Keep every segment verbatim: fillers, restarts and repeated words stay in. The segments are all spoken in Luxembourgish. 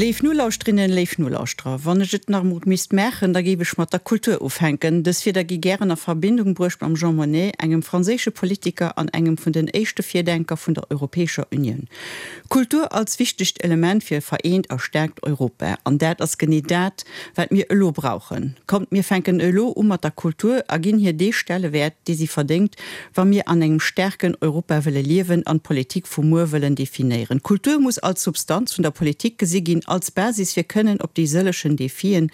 Léif Nolauschterinnen, léif Nolauschterer, wann ech et nach emol misst maachen, da géif ech mat der Kultur ufänken. Dës Wierder gi gären a Verbindung bruecht mam Jean Monnet, engem franséische Politiker an engem vun den éischte Virdenker vun der Europäescher Unioun. Kultur als wichtegt Element fir e vereent a staarkt Europa. An dat ass genee dat, wat mir elo brauchen. Kommt, mir fänken elo u mat der Kultur a ginn hir dee Stellewäert, dee si verdéngt, wa mir an engem staarken Europa wëlle liewen an d'Politik vu muer wëllen definéieren. Kultur muss als Substanz vun der Politik gesi ginn, als Basis fir kënnen op déi sëllechen Defien,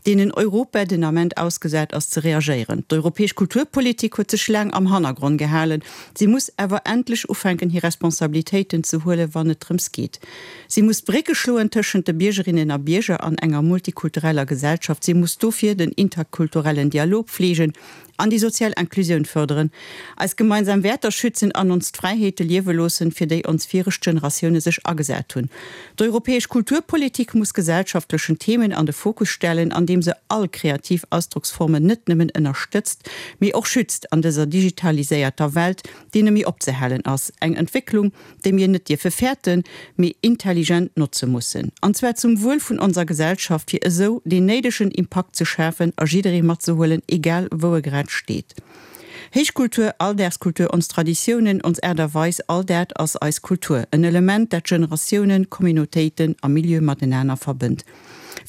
deenen Europa den Ament ausgesat ass, ze reagéieren. D'europäesch Kulturpolitik huet sech laang am Hannergrond gehalen. Si muss awer endlech ufänken, hir Responsabilitéiten ze huelen, wann et drëms geet. Si muss Brécke schloen tëschent de Biergerinnen a Bierger an enger multikultureller Gesellschaft. Si muss dofir den interkulturellen Dialog fleegen an déi sozial Inklusioun fërderen, eis gemeinsam Wäerter schützen an ons d'Fräiheete liewe loossen, fir déi ons viregt Generatioune sech agesat hunn. D'europäesch Kulturpolitik muss gesellschaftlechen Themen an de Fokus stellen, andeem se all kreativ Ausdrocksformen net nëmmen ënnerstëtzt, mee och schützt an dëser digitaliséierter Welt, déi net méi opzehalen ass. Eng Entwécklung, déi mir net dierfe fäerten, mee intelligent notze mussen. An zwar zum Wuel vun onser Gesellschaft, fir esou deen néidegen Impakt ze schafen a jidderee matzehuelen, egal wou e grad steet. Héichkultur, Alldagskultur, ons Traditiounen, ons Aart a Weis, all dat ass eis Kultur, en Element, dat Generatiounen, Communautéiten a Milieue matenaner verbënnt.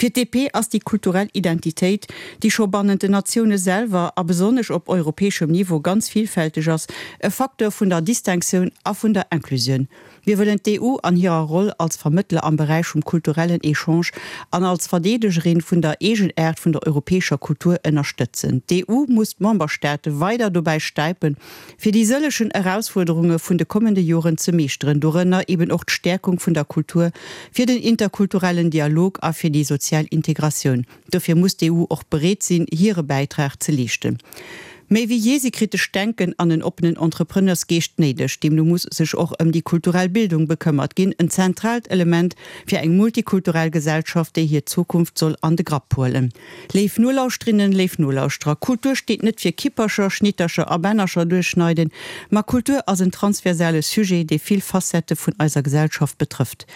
Fir d'DP ass déi kulturell Identitéit, déi scho bannent den Natioune selwer a besonnesch op europäeschem Niveau ganz villfälteg ass, e Facteur vun der Distinctioun a vun der Inclusioun. Mir wëllen d'EU an hirer Roll als Vermëttler am Beräich vum kulturellen Echange an als Verdeedegerin vun der Eegenaart vun der europäescher Kultur ënnerstëtzen. D'EU muss d'Memberstaate weider dobäi stäipen, fir déi sëllechen Erausfuerderunge vun de kommende Joren ze meeschteren, dorënner eben och d'Stäerkung vun der Kultur fir den interkulturellen Dialog a fir déi sozial Integratioun. Dofir muss d'EU och bereet sinn, hire Bäitrag ze leeschten. Méi wéi jee si kritescht Denken an en oppenen Entrepreneursgeescht néideg. Deemno muss sech och ëm déi kulturell Bildung bekëmmert ginn, en zentraalt Element fir eng multikulturell Gesellschaft, déi hir Zukunft soll an de Grapp huelen. Léif Nolauschterinnen, léif Nolauschterer, Kultur steet net fir Kippercher, Schnittercher a Bännercher duerchschneiden, ma Kultur ass en transversale Sujet, dee vill Facettë vun eiser Gesellschaft betrëfft.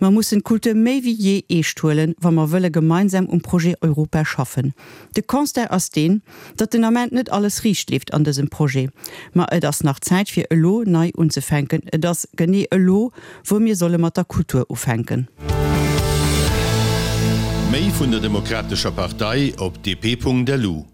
Mer mussen d'Kultur méi wéi jee eescht huelen, wa mer wëlle gemeinsam um Projet Europa schaffen. De Constat ass deen, datt den Ament net alles riicht leeft an dësem Projet. Ma et ass nach Zäit fir elo nei unzefänken. Et ass genee elo, wou mir solle mat der Kultur ufänken. Méi vun der Demokratescher Partei op dp.lu.